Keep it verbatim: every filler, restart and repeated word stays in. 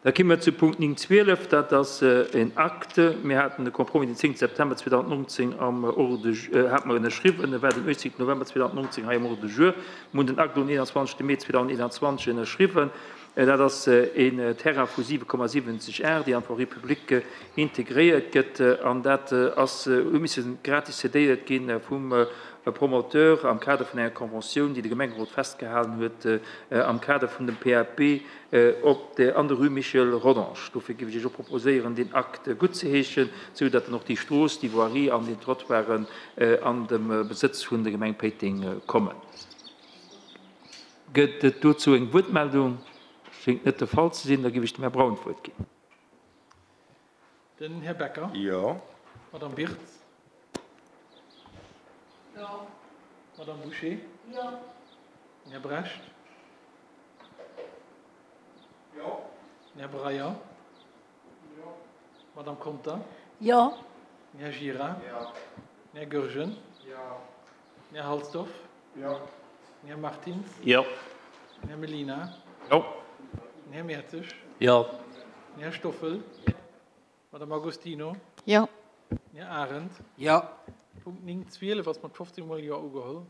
Da komme mer zu Punkt néng zwielef, dat ass en Acte. Mir haten de Compromis den zéngte September zweedausendnonzéng am Ordre du jour, hate mer ënnerschriwwen. E war den uechtzéngten November zweedausendnonzéng hei am Ordre du jour. Mir hunn den Acte um eenanzwanzegste Mee zweedausendeenanzwanzeg ënnerschriwwen. Dat ass een Terrain vu siwe Komma siwwenzeg Ar, déi an d'Voirie publique integréiert gëtt. An dat ass, huet misse gratis cédéiert gi vum Promoteur am Kader vun enger Conventioun, déi de Gemengerot festgehalen huet am Kader vun dem P A P op der, an der Rue Michel Rodange. Dofir géif ech Iech och proposéieren, deen Akt guttzeheeschen, sou datt dann och déi Strooss, déi Voirie an déi Trottoiren an de Besëtz vun der Gemeng Péiteng kommen. Gëtt et dozou eng Wuertmeldung? Schéngt net de Fall ze sinn. Da géif ech dem Här Braun d'Wuert ginn. Den Här Becker. Jo. Madame Birtz. Jo. Madame Bouché. Jo. Den Här Brecht. Jo. Den Här Breyer. Jo. Madame Conter. Jo. Den Här Gira. Jo. Den Här Goergen. Jo. Den Här Halsdorf. Jo. Den Här Martins. Jo. Den Här Mellina. Jo. Den Här Mertzig. Jo. Den Här Stoffel. Madame Agostino. Jo. Den Här Arendt. Jo. Punkt néng zwielef ass mat fofzéng mol Jo ugeholl.